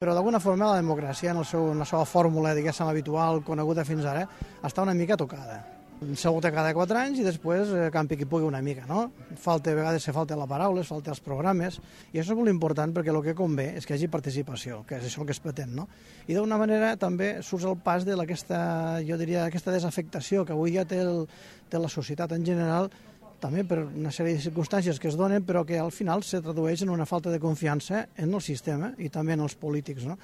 Però d'alguna forma la democràcia, en la seva fórmula, diguéssim, habitual, coneguda fins ara, està una mica tocada. S'ha vota cada 4 anys i després campi qui pugui una mica, no? A vegades se falta la paraula, es falta els programes, i això és molt important perquè el que convé és que hi hagi participació, que és això que es pretén, no? I d'una manera també surts el pas d'aquesta, jo diria, aquesta desafectació que avui ja té la societat en general, també per una sèrie de circumstàncies que es donen, però que al final se tradueix en una falta de confiança en el sistema i també en els polítics, no?